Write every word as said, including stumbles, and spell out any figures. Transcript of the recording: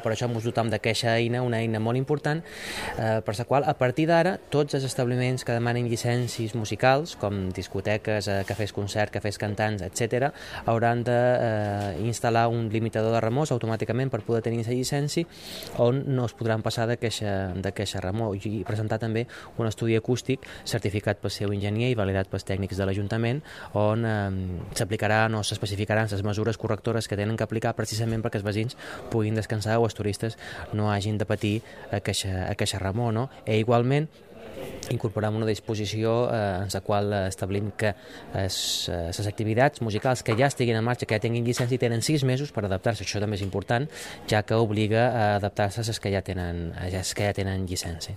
Per això ens dotam d'aquesta eina, una eina molt important, eh, per la qual, a partir d'ara, tots els establiments que demanen llicències musicals, com discoteques, eh, cafès concert, cafès cantants, etcètera, hauran d'instal·lar eh, un limitador de remors automàticament per poder tenir la llicència, on no es podran passar d'aquesta remor, i presentar també un estudi acústic certificat pel seu enginyer i validat pels tècnics de l'Ajuntament, on eh, s'aplicaran o s'especificaran les mesures correctores que tenen que aplicar precisament perquè els veïns puguin descansar o els turistes no hagin de patir aquesta, aquesta remor, no? I igualment incorporam una disposició eh, en la qual establim que les activitats musicals que ja estiguin en marxa, que ja tinguin llicència, tenen sis mesos per adaptar-se. Això també és important, ja que obliga a adaptar-se a les que ja tenen, a les que ja tenen llicència.